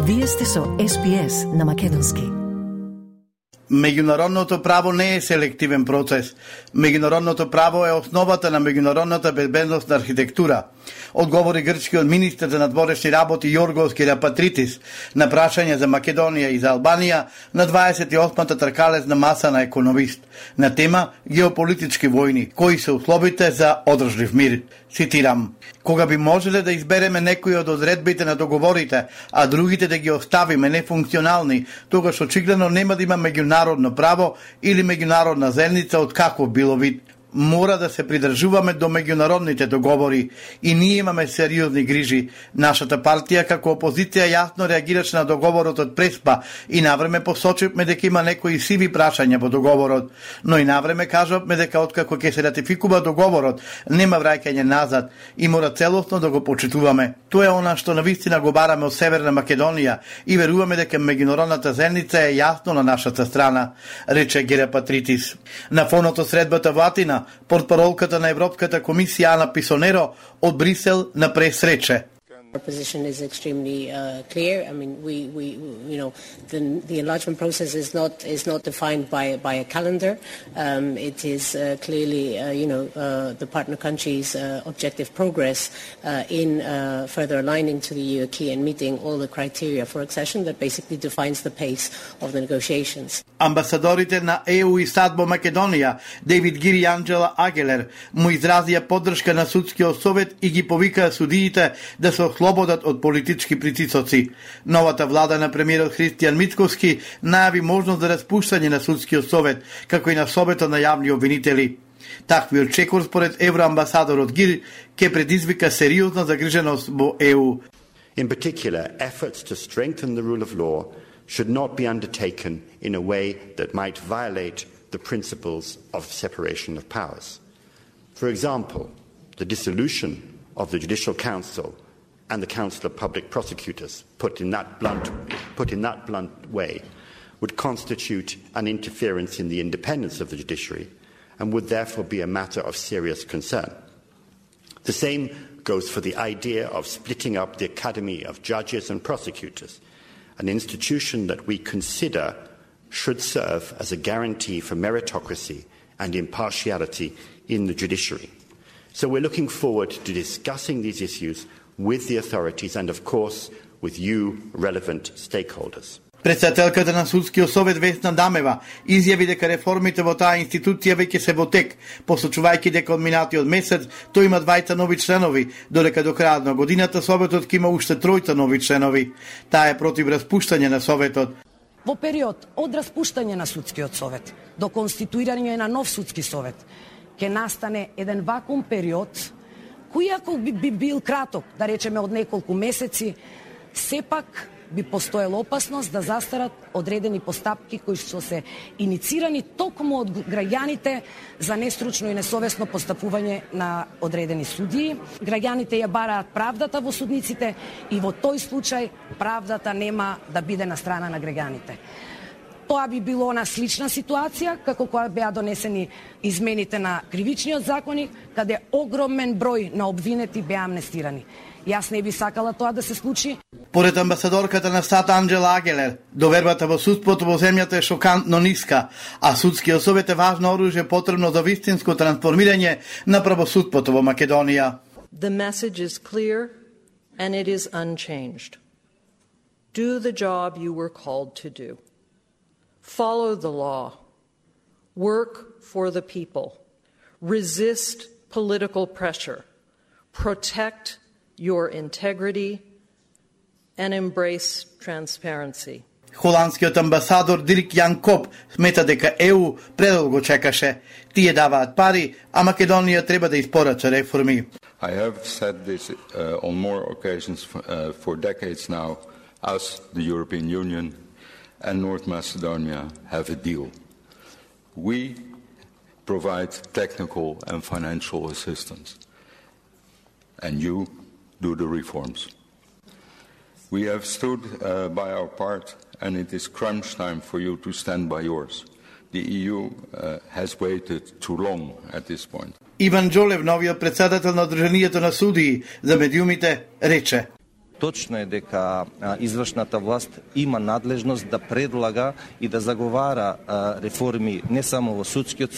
Вие сте со SPS на македонски. Меѓународното право не е селективен процес. Меѓународното право е основата на меѓународната безбедносна архитектура, одговори грчкиот министер за надворешни работи Јоргос Кирјапатритис на прашање за Македонија и за Албанија на 28-та тркалезна маса на економист на тема геополитички војни, кои се условите за одржлив мир. Цитирам: "Кога би можеле да избереме некои од одредбите на договорите, а другите да ги оставиме нефункционални, тогаш очигледно нема да има меѓународно право или меѓународна заедница од каков било вид. Мора да се придржуваме до меѓународните договори и ние имаме сериозни грижи. Нашата партија како опозиција јасно реагираше на договорот од Преспа и навреме посочивме дека има некои сиви прашања во договорот, но и навреме кажавме дека откако ќе се ратификува договорот, нема враќање назад и мора целосно да го почитуваме. Тоа е она што навистина го бараме од Северна Македонија и веруваме дека меѓународната заедница е јасно на нашата страна", рече Кирјапатритис. На фонот од средбата во Атина, портпаролката на Европската комисија Ана Писонеро од Брисел на пресрече. Our position is extremely clear. I mean, the enlargement process is not defined by a calendar. It is clearly, the partner countries' objective progress in further aligning to the EU acquis and meeting all the criteria for accession that basically defines the pace of the negotiations. Амбасадорите на ЕУ и САД во Македонија, Дейвид Гири и Анджела Агелер, му изразија поддршка на судскиот совет и ги повикаа судиите да се ослободат од политички притисоци. Новата влада на премиерот Христијан Мицковски најави можност за распуштање на судскиот совет, како и на советот на јавни обвинители. Таквиот чекор според евроамбасадорот Гир ќе предизвика сериозна загриженост во ЕУ. In particular, efforts to strengthen the rule of law should not be undertaken in a way that might violate the principles of separation of powers. For example, the dissolution of the Judicial Council and the Council of Public Prosecutors, put in that blunt way, would constitute an interference in the independence of the judiciary and would therefore be a matter of serious concern. The same goes for the idea of splitting up the Academy of Judges and Prosecutors, an institution that we consider should serve as a guarantee for meritocracy and impartiality in the judiciary. So we're looking forward to discussing these issues with the authorities and, of course, with you, relevant stakeholders. Председателката на Судскиот совет Весна Дамева изјави дека реформите во таа институција веќе се во тек, посочувајќи дека од минатиот месец тој има 2 нови членови, додека до крајот на годината советот ќе има уште 3 нови членови. Таа е против распуштање на советот. Во период од распуштање на Судскиот совет до конституирање на нов Судски совет ќе настане еден вакуум период кој ако би бил краток, да речеме од неколку месеци, сепак би постоела опасност да застарат одредени постапки кои што се иницирани токму од граѓаните за нестручно и несовесно постапување на одредени судии. Граѓаните ја бараат правдата во судниците и во тој случај правдата нема да биде на страна на граѓаните. Тоа би било на слична ситуација како кога беа донесени измените на кривичниот законник, каде огромен број на обвинети беа амнестирани. Јас не би сакала тоа да се случи. Поред амбасадорката на САД Анджела Агелер, довербата во судството во земјата е шокантно ниска, а судскиот совет е важно оружје потребно за вистинско трансформирање на правосудството во Македонија. The message is clear and it is unchanged. Do the job you were called to do. Follow the law. Work for the people. Resist political pressure. Protect your integrity and embrace transparency. Холандскиот амбасадор Дирк Јан Коп смета дека ЕУ предолго чекаше. Тие даваат пари, а Македонија треба да испорача реформи. I have said this on more occasions for decades now. Us, the European Union and North Macedonia have a deal. We provide technical and financial assistance, and you do the reforms. We have stood by our part, and it is crunch time for you to stand by yours. The EU has waited too long at this point. Иван Джолев, новиот председател на Одруженијето на судии за медиумите, рече: Точно е дека извршната власт има надлежност да предлага и да заговара реформи не само во судскиот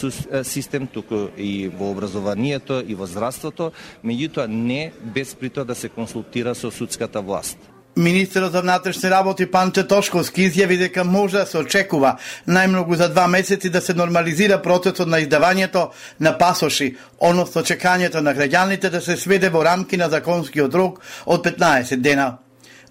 систем, туку и во образованието и во здравството, меѓутоа не без при тоа да се консултира со судската власт. Министерот за внатрешни работи Панче Тошковски изјави дека може да се очекува најмногу за 2 месеци да се нормализира процесот на издавањето на пасоши, односно чекањето на граѓаните да се сведе во рамки на законскиот рок од 15 дена.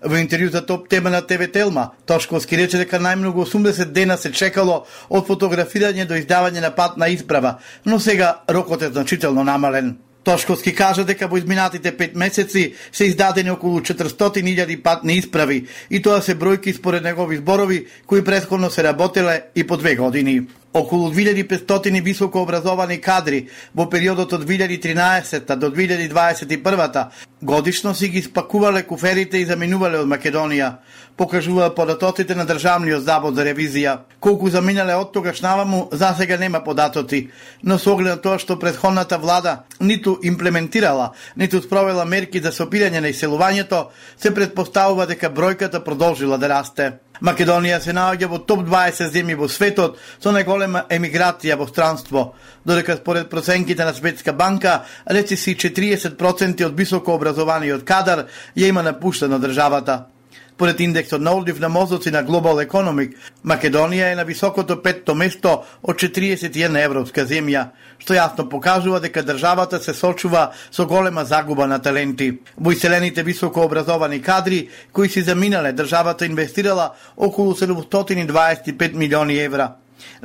Во интервју за Топ тема на ТВ Телма, Тошковски рече дека најмногу 80 дена се чекало од фотографирање до издавање на патна исправа, но сега рокот е значително намален. Тошковски кажа дека во изминатите 5 месеци се издадени околу 400.000 патни исправи и тоа се бројки според негови зборови кои претходно се работеле и по 2 години. Околу 2500 високообразовани кадри во периодот од 2013 до 2021 годишно си ги спакувале куферите и заминувале од Македонија, покажува податоците на Државниот завод за ревизија. Колку заминале од тогаш наваму, засега нема податоци, но со оглед на тоа што претходната влада ниту имплементирала, ниту спровела мерки за сопирање на иселувањето, се претпоставува дека бројката продолжила да расте. Македонија се наоѓа во топ 20 земји во светот со најголема емиграција во странство, додека според проценките на Светска банка, речиси 40% од високообразованиот кадар ја има напуштено државата. Според индексот на одлив на мозоци на Global Economic, Македонија е на високото 5-то место од 41 европска земја, што јасно покажува дека државата се сочува со голема загуба на таленти. Во иселените високообразовани кадри, кои си заминале, државата инвестирала околу 725 милиони евра.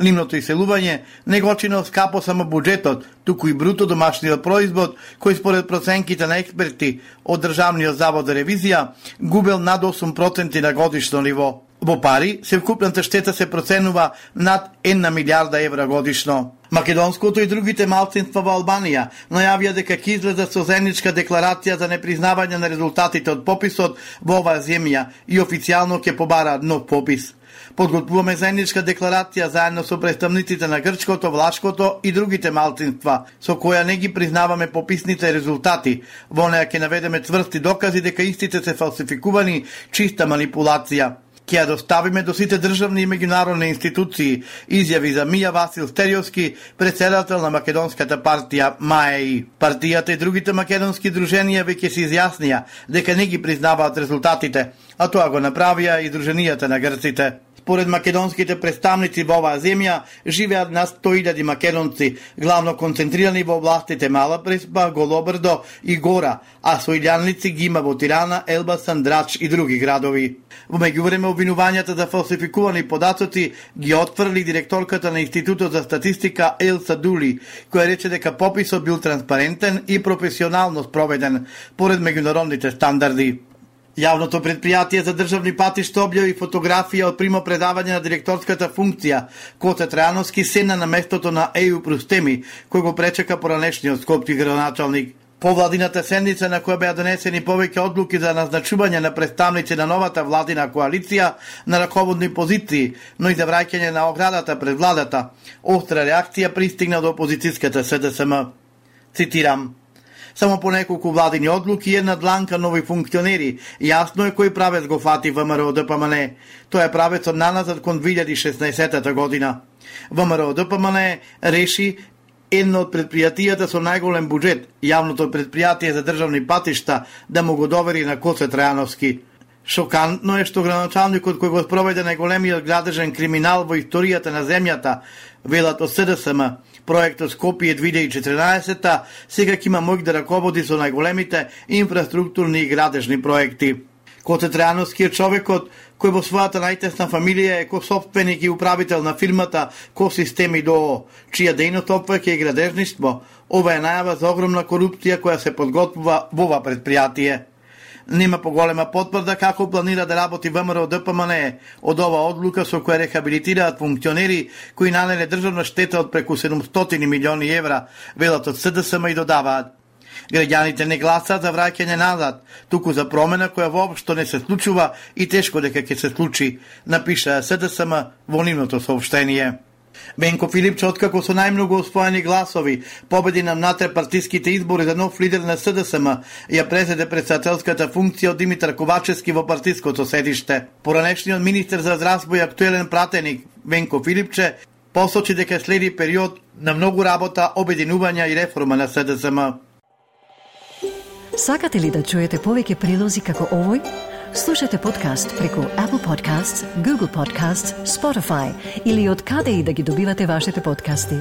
Нивното иселување не го чини скапо само буџетот, туку и бруто домашниот производ, кој според проценките на експерти од Државниот завод за ревизија губел над 8% на годишно ниво. Во пари, севкупната штета се проценува над 1 милиарда евра годишно. Македонското и другите малцинства во Албанија најавија дека ќе излезат со заедничка декларација за непризнавање на резултатите од пописот во оваа земја и официјално ќе побараат нов попис. Подготвуваме заедничка декларација заедно со представниците на грчкото, влашкото и другите малцинства, со која не ги признаваме пописните резултати. Во неја ќе наведеме цврсти докази дека истите се фалсификувани, чиста манипулација. Ќе ја доставиме до сите државни и меѓународни институции, изјави за Мија Васил Стериовски, председател на македонската партија МАЕИ. Партијата и другите македонски друженија веќе се изјаснија дека не ги признаваат резултатите, а тоа го направија и Друженијата на грците. Според македонските представници во оваа земја живеат над 100.000 македонци, главно концентрирани во областите Мала Преспа, Голобрдо и Гора, а соилјаници ги има во Тирана, Елбасан, Драч и други градови. Во меѓувреме обвинувањата за фалсификувани податоци ги отфрли директорката на Институтот за статистика Елса Дули, која рече дека пописот бил транспарентен и професионално спроведен поред меѓународните стандарди. Јавното предпријатие за државни патишта објави фотографија од примопредавање на директорската функција Коце Трајановски седна на местото на Еју Прустеми, кој го пречека поранешниот скопски градоначалник. По владината седница на која беа донесени повеќе одлуки за назначување на представници на новата владина коалиција на раководни позиции, но и за враќање на оградата пред владата, остра реакција пристигна до опозицијската СДСМ. Цитирам: само по неколку владини одлуки и една дланка нови функционери. Јасно е кој правец го фати ВМРО ДПМН. Тоа е правецот наназад кон 2016 година. ВМРО ДПМН реши едно од предпријатијата со најголем буџет, јавното предпријатие за државни патишта, да му го довери на Коце Трајановски. Шокантно е што градоначалникот кој го спроведе најголемиот градежен криминал во историјата на земјата, велат од СДСМ, проектот Скопје 2014, сега ќе има моќ да раководи со најголемите инфраструктурни и градежни проекти. Коце Трајановски е човекот кој во својата најтесна фамилија е косопственик и управител на фирмата Косистеми ДОО, чија дејност опфаќа и градежништво. Ова е најава за огромна корупција која се подготвува во ова предпријатие. Нема поголема потврда како планира да работи ВМРО ДПМН од ова одлука со која рехабилитираат функционери кои нанеле државна штета од преку 700 милиони евра, велат од СДСМ и додаваат: граѓаните не гласаат за враќање назад, туку за промена која воопшто не се случува и тешко дека ќе се случи, напиша СДСМ во нивното соопштение. Венко Филипче, откако со најмногу освоени гласови победи на внатре-партиските избори за нов лидер на СДСМ, ја презеде председателската функција од Димитар Ковачевски во партиското седиште. Поранешниот министер за здравство и актуелен пратеник Венко Филипче посочи дека следи период на многу работа, обединување и реформа на СДСМ. Сакате ли да чуете повеќе прилози како овој? Слушате подкаст преку Apple Podcasts, Google Podcasts, Spotify или од каде и да ги добивате вашите подкасти.